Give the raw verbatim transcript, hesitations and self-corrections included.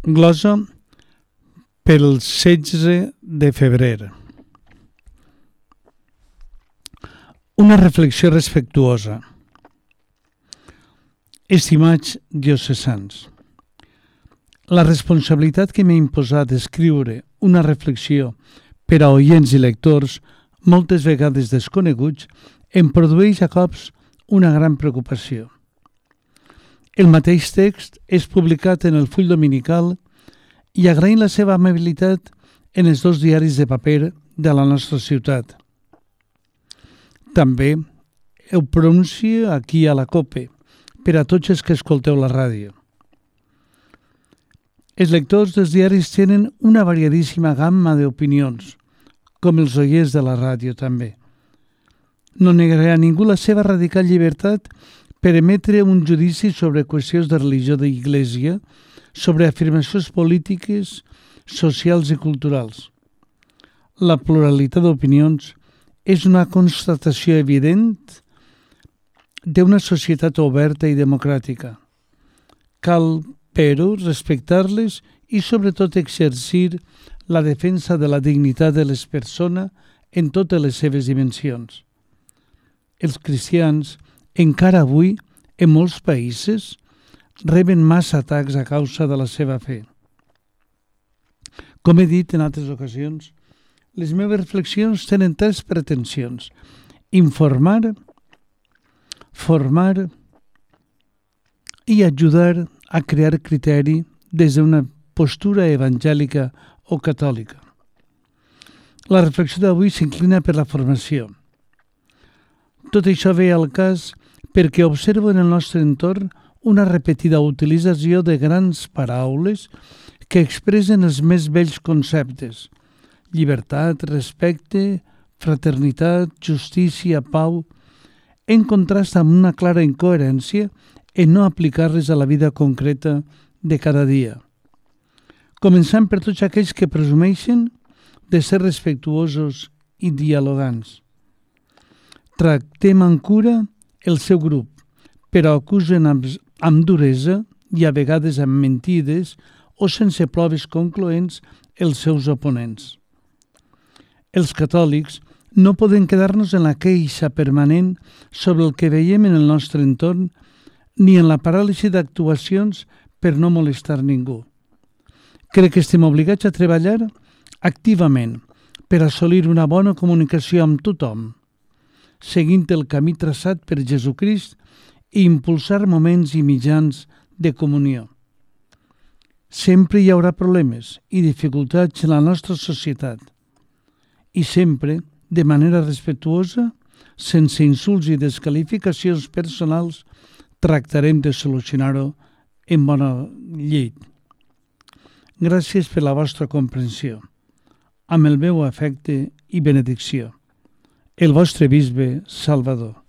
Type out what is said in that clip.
Glosa pel setze de febrer. Una reflexió respectuosa. Estimats diocesans, la responsabilitat que m'ha imposat escriure una reflexió per a oients i lectors, moltes vegades desconeguts, em produeix a cops una gran preocupació. El mateix text és publicat en el full dominical i agraïm la seva amabilitat en els dos diaris de paper de la nostra ciutat. També ho pronuncio aquí a la COPE, per a tots els que escolteu la ràdio. Els lectors dels diaris tenen una variadíssima gamma d'opinions, com els oients de la ràdio també. No negaré a ningú la seva radical llibertat per emetre un judici sobre qüestions de religió d'Iglésia, sobre afirmacions polítiques, socials i culturals. La pluralitat d'opinions és una constatació evident d'una societat oberta i democràtica. Cal, però, respectar-les i sobretot exercir la defensa de la dignitat de les persones en totes les seves dimensions. Els cristians, encara avui, en molts països, reben massa atacs a causa de la seva fe. Com he dit en altres ocasions, les meves reflexions tenen tres pretensions: informar, formar i ajudar a crear criteri des d'una postura evangèlica o catòlica. La reflexió d'avui s'inclina per la formació. Tot això ve al cas perquè observo en el nostre entorn una repetida utilització de grans paraules que expressen els més vells conceptes: llibertat, respecte, fraternitat, justícia, pau, en contrast amb una clara incoherència en no aplicar-les a la vida concreta de cada dia. Començant per tots aquells que presumeixen de ser respectuosos i dialogants. Tractem amb cura el seu grup, però acusen amb, amb duresa i a vegades amb mentides o sense proves concloents els seus oponents. Els catòlics no podem quedar-nos en la queixa permanent sobre el que veiem en el nostre entorn ni en la paràlisi d'actuacions per no molestar ningú. Crec que estem obligats a treballar activament per assolir una bona comunicació amb tothom, seguint el camí traçat per Jesucrist i impulsar moments i mitjans de comunió. Sempre hi haurà problemes i dificultats en la nostra societat i sempre, de manera respectuosa, sense insults i desqualificacions personals, tractarem de solucionar-ho en bona llet. Gràcies per la vostra comprensió. Amb el meu afecte i benedicció. El vostre bisbe Salvador.